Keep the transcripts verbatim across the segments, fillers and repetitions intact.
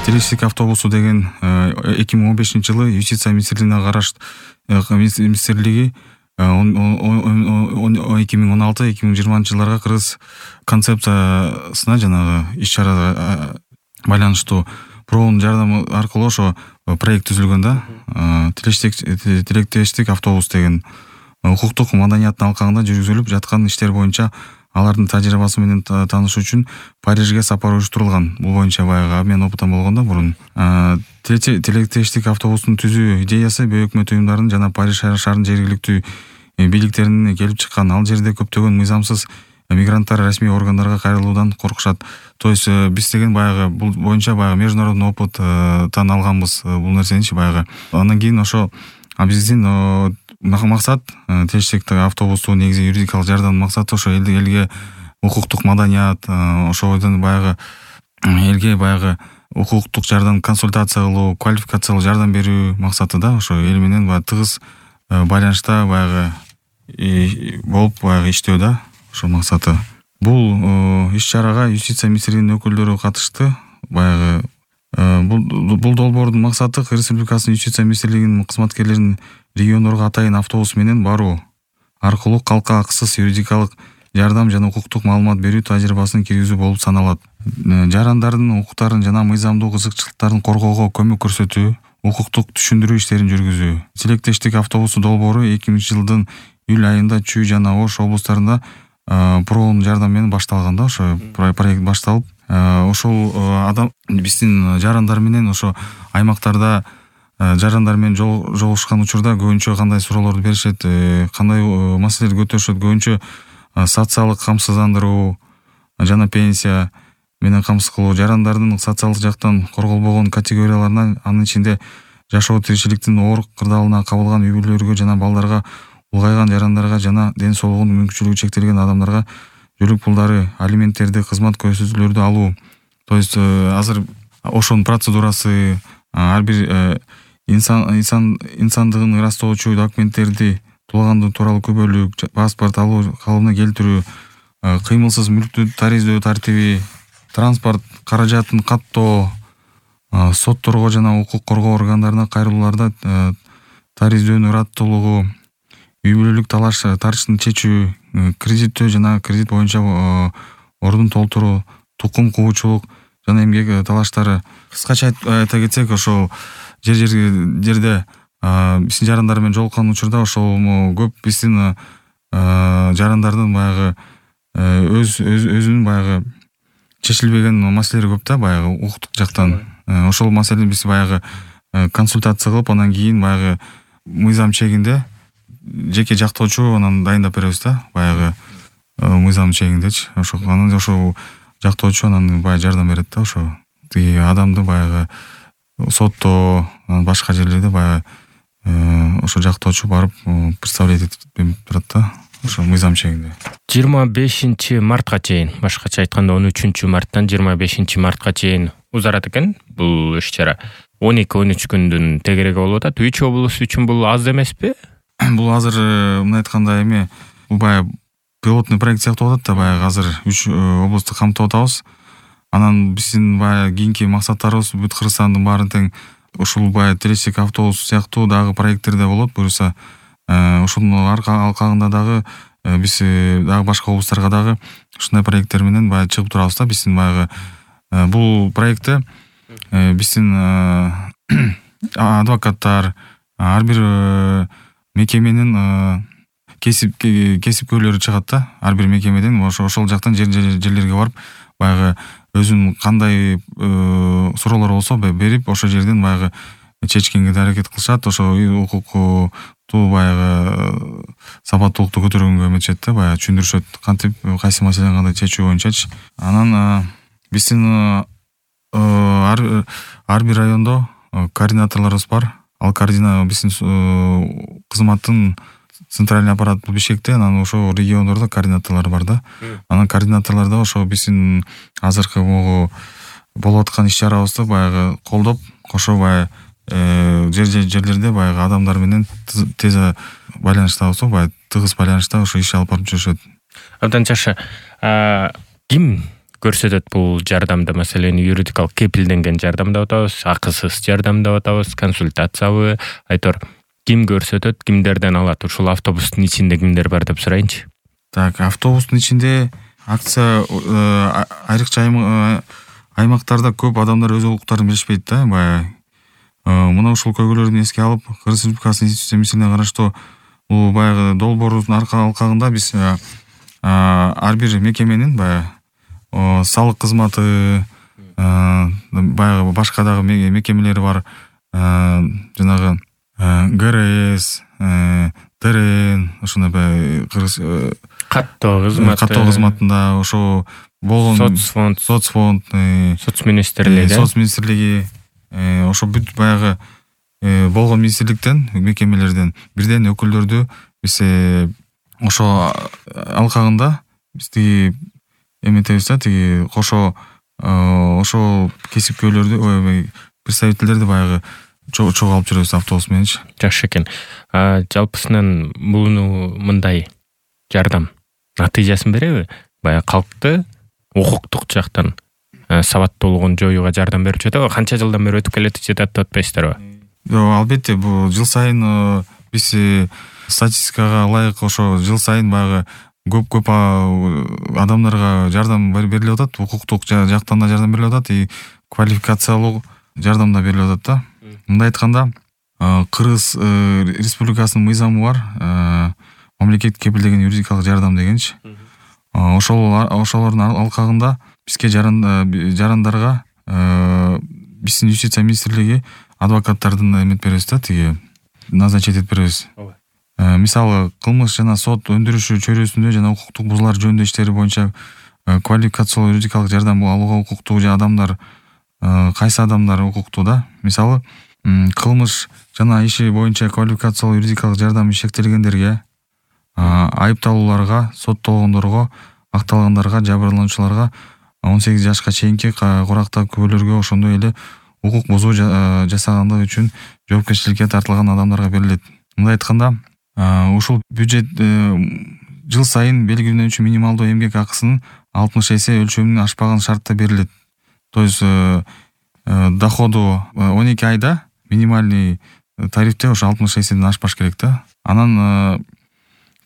Телестик автобусу деген эки миң он бешинчи жылы Юстиция министрлигине караш министрлиги эки миң он алты эки миң жыйырманчы жылдарга кыргыз концепциясына жанагы иш-чарага байланыштуу проонун жардамы аркылуу ошо проект түзүлгөн да. Тилектештик автобус деген укуктук маданияттын алкагында жүргүзүлүп жаткан иштер боюнча алардын тажрыйбасы менен таанышуу үчүн Парижге сапар уюштурулган. Бул боюнча баягы мен опытан болгондо мурун тилектештик автобустун түзүү идеясы бейөкмөт уюмдардын жана Париж шаарынын жергиликтүү бийликтеринен келип чыккан. Ал жерде көптөгөн мыйзамсыз мигранттар расмий органдарга кайрылуудан коркушат. То есть биз деген баягы бул боюнча баягы международный опыттан алганбыз бул нерсеничи баягы. Андан кийин ошо биздин максат тилектештик автобусту негизи юридикалык жардамдын максаты ошо элди элге укуктук маданият, ошодон баягы элге баягы укуктук жардам, консультация кылуу, квалификациялык жардам берүү максаты да. Ошо эл менен баягы тыгыз байланышта баягы болуп баягы иштөө да. Ошо максаты. Бул иш-чарага Юстиция министрлигинин өкүлдөрү катышты. Баягы бул бул долбоордун максаты Кыргыз Республикасынын Юстиция министрлигинин кызматкерлерин региондорго атайын автобус менен баруу аркылуу калкка акысыз юридикалык жардам жана укуктук маалымат берүү тажрыйбасын киргизүү болуп саналат. Жарандардын укуктарын жана мыйзамдуу кызыкчылыктарын коргоого көмөк көрсөтүү, укуктук түшүндүрүү иштерин жүргүзүү. Тилектештик автобусу долбоору эки миңинчи жылдын июль айында Чүй жана Ош облустарында проонун жардамы менен башталган да. Ошо проект башталып, ошол адам биздин жарандар менен ошо аймактарда жарандар менен жолугушкан учурда көбүнчө кандай суроолорду беришет, кандай маселелерди көтөрүшөт, көбүнчө социалдык камсыздандыруу жана пенсия менен камсыз кылуу, жарандардын социалдык жактан корголбогон категорияларына, анын ичинде жашоо тиричиликтин оор кырдаалына кабылган үй бүлөлөргө жана балдарга, улгайган жарандарга жана ден соолугунун мүмкүнчүлүгү чектелген адамдарга жөлөк пулдары, алименттерди, кызмат көрсөтүүлөрдү алуу. То есть азыр ошонун процедурасы, ар бир инсан инсан инсандыгын ырастоочу документтерди туугандыгы тууралуу күбөлүк, паспорт алуу калыбына келтирүү, кыймылсыз мүлктү тариздөө тартиби, транспорт каражатын каттоо, сотторго жана укук коргоо органдарына кайрылууларда тариздөөнүн ыраттуулугу, үй бүлөлүк талаш тартышын чечүү, кредиттөө жана кредит боюнча ордун толтуруу, тукум куучулук жана эмгек талаштары. Кыскача айта кетсек, ошол жер жерде биздин жарандар менен жолуккан учурда ошол көп биздин жарандардын баягы өз өзүнүн баягы чечилбеген маселелери көп да, баягы укуктук жактан. Ошол маселени биз баягы консультация кылып, анан кийин баягы мыйзам чегинде жеке жактоочу анан дайындап беребиз да, баягы мыйзам чегиндечи. Ошо анан ошо жактоочу анан баягы жардам берет да, ошо тиги адамды баягы сотто, башка жерлерде баягы ошо жактоочу барып представлять этип турат да, ошо мыйзам чегинде. жыйырма бешинчи мартка чейин, башкача айтканда он үчүнчү марттан жыйырма бешинчи мартка чейин узарат экен бул иш-чара. он эки он үч күндүн тегереги болуп атат. Үч облус үчүн бул аз эмеспи? Бул азыр мындай айтканда эме бул баягы пилотный проект сыяктуу болуп атат да, баягы азыр үч облусту камтып атабыз. Анан биздин баягы кийинки максаттарыбыз бүт Кыргызстандын баарын тең ушул баягы тилектештик автобус сыяктуу дагы проекттерде болот. Буюрса ошонун алкагында дагы биз дагы башка облустарга дагы ушундай проекттер менен баягы чыгып турабыз да. Биздин баягы бул проектте биздин адвокаттар, ар бир мекеменин кесип кесипкөйлөрү чыгат да, ар бир мекемеден ошол жактан жерлерге барып баягы өзүнүн кандай суроолор болсо берип, ошол жерден баягы чечкенге аракет кылышат. Ошо укуктуу баягы сапаттуулукту көтөргөнгө эметишет да, баягы түшүндүрүшөт кантип кайсы маселени кандай чечүү боюнчачы. Анан биздин ар бир райондо координаторлорубуз бар. Ал координатор биздин кызматтын центральный аппарат Бишкекте, анан ошо региондордо координаторлор бар да. Анан координаторлордо ошо биздин азыркы могу болуп аткан иш-чарабызды баягы колдоп, кошо баягы жер жерлерде баягы адамдар менен тез байланыштабыз, баягы тыгыз байланышта ошо иш алып барып жүрүшөт. Абдан жакшы. Ким көрсөтөт бул жардамды? Маселен, юридикалык кепилденген жардам деп атабыз, акысыз жардам деп атабыз, консультациябы, айтор ким көрсөтөт, кимдерден алат? Ушул автобустун ичинде кимдер бар деп сурайынчы. Так, автобустун ичинде акция айрыкча аймактарда көп адамдар өз укуктарын билишпейт да. Баягы мына ушул көйгөйлөрдү эске алып, Кыргыз Республикасынын Конституция миссиясына караштуу бул баягы долбоордун алкагында биз ар бир мекеменин баягы салык кызматы, баягы башка дагы мекемелери бар, жанагы гэ эр эс, тэ эр эн, ошондой баягы кыргыз каттоо кызматы, каттоо кызматында ошо болгон соцфонд, соцфонд, соц министрлиги, соц министрлиги, ошо бүт баягы болгон министрликтен, мекемелерден бирден өкүлдөрдү биз ошо алкагында биз тиги эметебиз да, тиги кошо ошол кесипкөйлөрдү, представительдерди баягы чогуу алып жүрөбүз автобус мененчи. Жакшы экен. Жалпысынан буну мындай жардам натыйжасын береби? Баягы калкты укуктук жактан сабаттуулугун жоюуга жардам берип жатабы? Канча жылдан бери өтүп келет жатат деп атпайсыздарбы? Жок, албетте, бул жыл сайын биз статистикага ылайык ошо жыл сайын баягы көп-көп адамдарга жардам берилип атат, укуктук жактан да жардам берилип атат, и квалификациялуу жардам да берилип атат да. Мындай айтканда, Кыргыз Республикасынын мыйзамы бар, мамлекет кепилдеген юридикалык жардам дегенчи. Ошол ошолордун алкагында бизге жарандарга биздин Юстиция министрлиги адвокаттардын эмет беребиз да, тиги назначить этип беребиз. Мисалы, кылмыш жана сот өндүрүшү чөйрөсүндө жана укуктук бузуулар жөнүндө иштери боюнча квалификациялуу юридикалык жардам алууга укуктуу адамдар кайсы адамдар укуктуу да? Мисалы, кылмыш жана иши боюнча квалификациялуу юридикалык жардам шектелгендерге, айыпталууларга, соттолгондорго, акталгандарга, жабырлануучуларга, он сегиз жашка чейинки курактагы күбөлөргө, ошондой эле укук бузуу жасагандыгы үчүн жоопкерчиликке тартылган адамдарга берилет. Мындай айтканда, ушул бюджет жыл сайын белгиленүүчү минималдуу эмгек акысынын алтымыш эсе өлчөмүнөн ашпаган шартта берилет. То есть доходу он эки айда минимальный тарифте ошо алтымыш эседен ашпаш керек да. Анан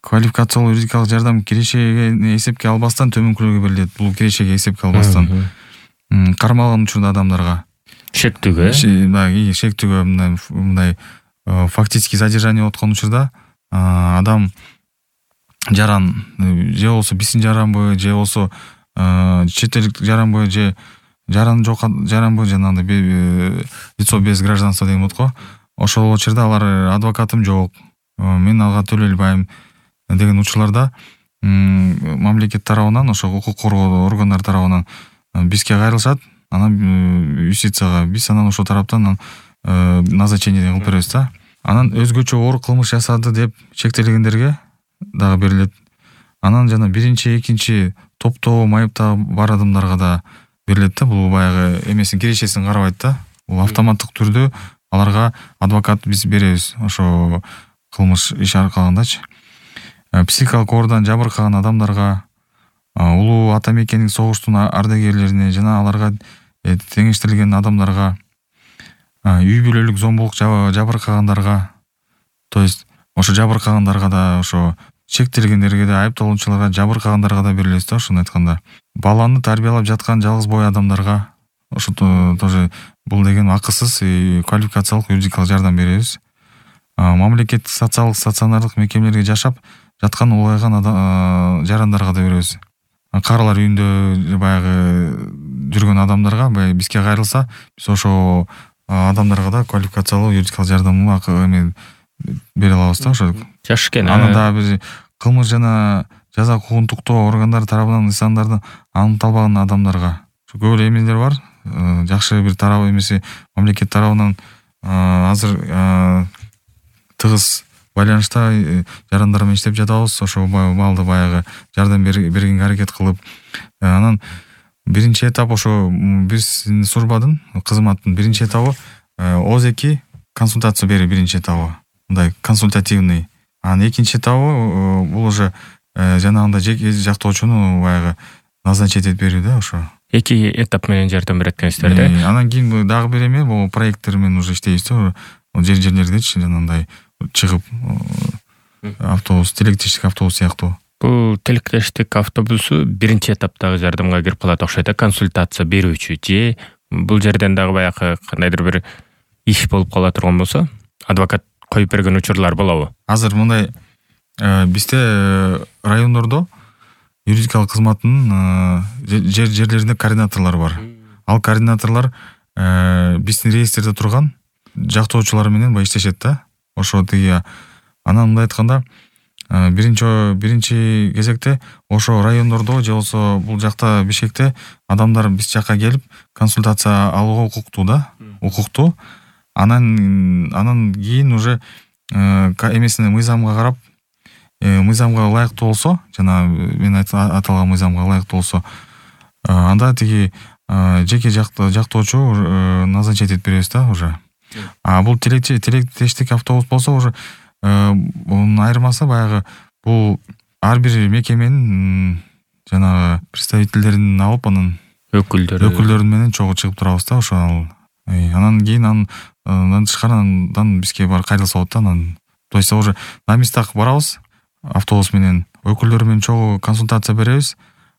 квалификациялуу юридикалык жардам кирешеге эсепке албастан төмөнкүрөгө берилет. Бул кирешеге эсепке албастан кармалган учурда адамдарга шектүүгө, э, шектүүгө мындай фактически задержание откон учурда адам жаран же болсо биздин жаранбы, же болсо чет элдик жаранбы, же жаран жок жаранбы, жанагындай лицо без гражданства деген болот го. Ошол учурда алар адвокатым жок, мен ага төлөй албайм деген учурларда мамлекет тарабынан, ошо укук коргоо органдары тарабынан бизге кайрылышат, анан юстицияга, биз анан ошол тараптан назначение кылып беребиз да. Анан өзгөчө оор кылмыш жасады деп шектелгендерге дагы берилет. Анан жана биринчи, экинчи топтогу майыпта бар адамдарга да берилет да. Бул баягы эмесин кирешесин карабайт да. Бул автоматтык түрдө аларга адвокат биз беребиз, ошо кылмыш иш аркалыгындачы. Психикалык оордан жабыркаган адамдарга, улуу ата мекендик согуштун ардагерлерине жана аларга теңештирилген адамдарга, үй бүлөлүк зомбулук жабыркагандарга, то есть ошо жабыркагандарга да, ошо шектелгендерге да, айыпталуучуларга, жабыркагандарга да берилет да. Ошону айтканда, баланы тарбиялап жаткан жалгыз бой адамдарга ошо тоже бул деген акысыз квалификациялык юридикалык жардам беребиз. Мамлекеттик социалдык стационардык мекемелерге жашап жаткан улгайган жарандарга да беребиз. Карылар үйүндө баягы жүргөн адамдарга бизге кайрылса, биз ошо адамдарга да квалификациялуу юридикалык жардамды эме бере алабыз да. Ошо жакшы экен. Анан да биз кылмыш жана жаза укугунтуктоо органдары тарабынан нысандарды аныкталбаган адамдарга көп эле эмелер бар. Жакшы бир тарабы эмеси мамлекет тарабынан азыр тыгыз байланышта жарандар менен иштеп жатабыз. Ошо балды баягы жардам бергенге аракет кылып, анан биринчи этап ошо биздин службадын кызматтын биринчи этабы оз эки консультация берүү, биринчи этабы мындай консультативный. Анан экинчи этабы бул уже жанагындай жеке жактоочуну баягы назначить этип берүү да ошо. Эки этап менен жардам берет экенсиздер да. Анан кийин дагы бир эме бул проекттер менен уже иштейбиз да. Жер жерлердечи жанагындай чыгып автобус, тилектештик автобус сыяктуу. Бул тилектештик автобусу биринчи этаптагы жардамга кирип калат окшойт да, консультация берүүчү же бул жерден дагы баягы кандайдыр бир иш болуп кала турган болсо, адвокат коюп берген учурлар болобу? Азыр мындай бизде райондордо юридикалык кызматтын жер жерлеринде координаторлор бар. Ал координаторлор биздин реестрде турган жактоочулар менен баягы иштешет да. Ошо тиги анан мындай айтканда биринчи биринчи кезекте ошо райондордо же болбосо бул жакта Бишкекте адамдар биз жакка келип консультация алууга укуктуу да, укуктуу. Анан анан кийин уже эмесине мыйзамга карап, мыйзамга ылайыктуу болсо, жана мен аталган мыйзамга ылайыктуу болсо, анда тиги жеке жактоочу назначить этип беребиз да уже. А бул тилектештик автобус болсо уже мунун айырмасы баягы бул ар бир мекеменин жанагы представительдерин алып, анан өкүлдөрү өкүлдөрү менен чогуу чыгып турабыз да ошо. Анан кийин андан тышкары андан бизге бар кайрылса болот да. Анан то есть уже на местах барабыз автобус менен, өкүлдөр менен чогуу консультация беребиз.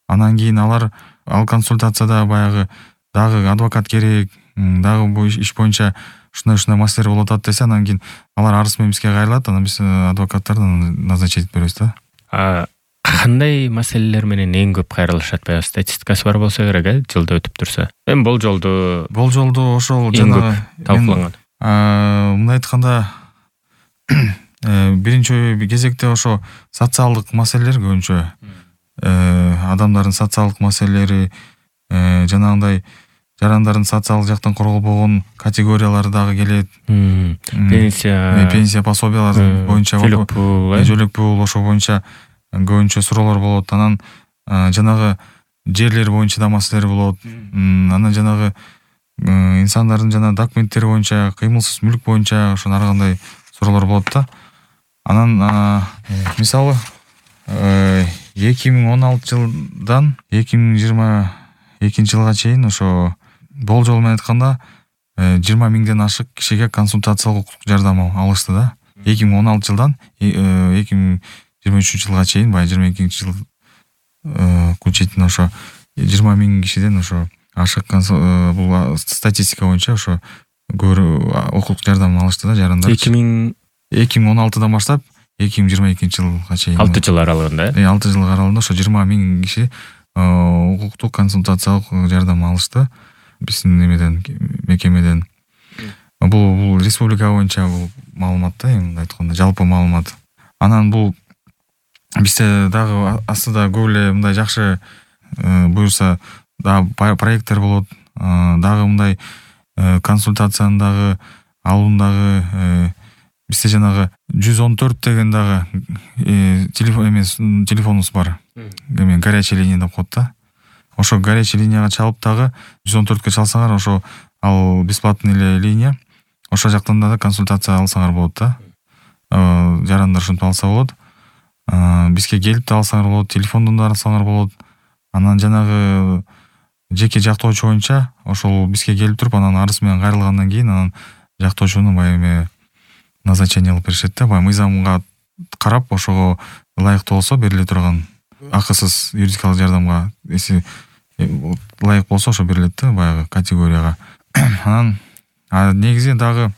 Анан кийин алар ал консультацияда баягы дагы адвокат керек, дагы бул иш боюнча ушундай-ушундай маселелер болуп атат десе, анан кийин алар арыз менен бизге кайрылат, анан биз адвокаттарды назначить этип беребиз да. А кандай маселелер менен эң көп кайрылышат? Баягы статистикасы бар болсо керек, э, жылда өтүп турса. Эми болжолду болжолду ошол жанагы талкууланган. Мындай айтканда биринчи кезекте ошо социалдык маселелер көбүнчө, адамдардын социалдык маселелери, жанагындай жарандардын социалдык жактан корголбогон категориялары дагы келет. Пенсия, пенсия пособиялар боюнча, жөлөк пул, жөлөк пул ошо боюнча көбүнчө суроолор болот. Анан жанагы жерлер боюнча да маселелер болот. Анан жанагы инсандардын жана документтери боюнча, кыймылсыз мүлк боюнча ошо ар кандай суроолор болот да. Анан мисалы эки миң он алты жылдан эки миң жыйырма экинчи жылга чейин ошо болжол менен айтканда жыйырма миңден ашык кишиге консультациялык укуктук жардам алышты да. эки миң он алты жылдан эки миң жыйырма үчүнчү жылга чейин, баягы жыйырма экинчи жыл чейин ошо жыйырма миң кишиден ошо ашык бул статистика боюнча ошо көбүрөөк укуктук жардам алышты да жарандар. эки миң эки миң он алтыдан баштап эки миң жыйырма экинчи жылга чейин алты жыл аралыгында, э алты жыл аралыгында ошо жыйырма миң киши укуктук консультациялык жардам алышты биздин немеден, мекемеден. Бул бул республика боюнча бул маалымат да, эми айтканда жалпы маалымат. Анан бул бизде дагы астыда көп эле мындай жакшы буюрса дагы проекттер болот. Дагы мындай консультацияны дагы алуундагы бизде жанагы жүз он төрт деген дагы телефон эмес телефонубуз бар. Эме горячая линия деп коет да. Ошо горячая линияга чалып дагы жүз он төрткө чалсаңар, ошо ал бесплатный эле линия. Ошо жактан да консультация алсаңар болот да. Жарандар ушинтип алса болот. Бизге келип да алсаңар болот, телефондон да алсаңар болот. Анан жанагы жеке жактоочу боюнча ошол бизге келип туруп, анан арыз менен кайрылгандан кийин анан жактоочуну баягы эме назначение кылып беришет да. Баягы мыйзамга карап ошого ылайыктуу болсо бериле турган акысыз юридикалык жардамга эси ылайык болсо ошо берилет да баягы категорияга. Анан негизи дагы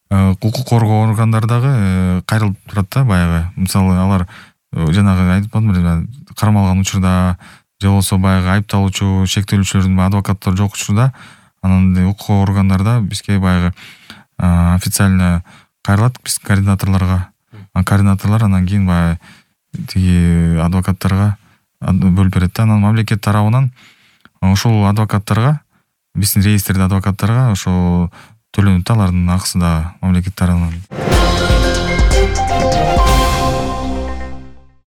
укук коргоо органдары дагы кайрылып турат да баягы. Мисалы алар жанагы айтып атпадымбы эле, кармалган учурда же болбосо баягы айыпталуучу, шектелүүчүлөрдүн адвокаттар жок учурда анан укук органдарда бизге баягы официально кайрылат биз координаторлорго. Координаторлор анан кийин баягы тиги адвокаттарга бөлүп берет да. Анан мамлекет тарабынан ошол адвокаттарга, биздин реестрде адвокаттарга ошо төлөнүп да, алардын акысы да мамлекет тарабынан.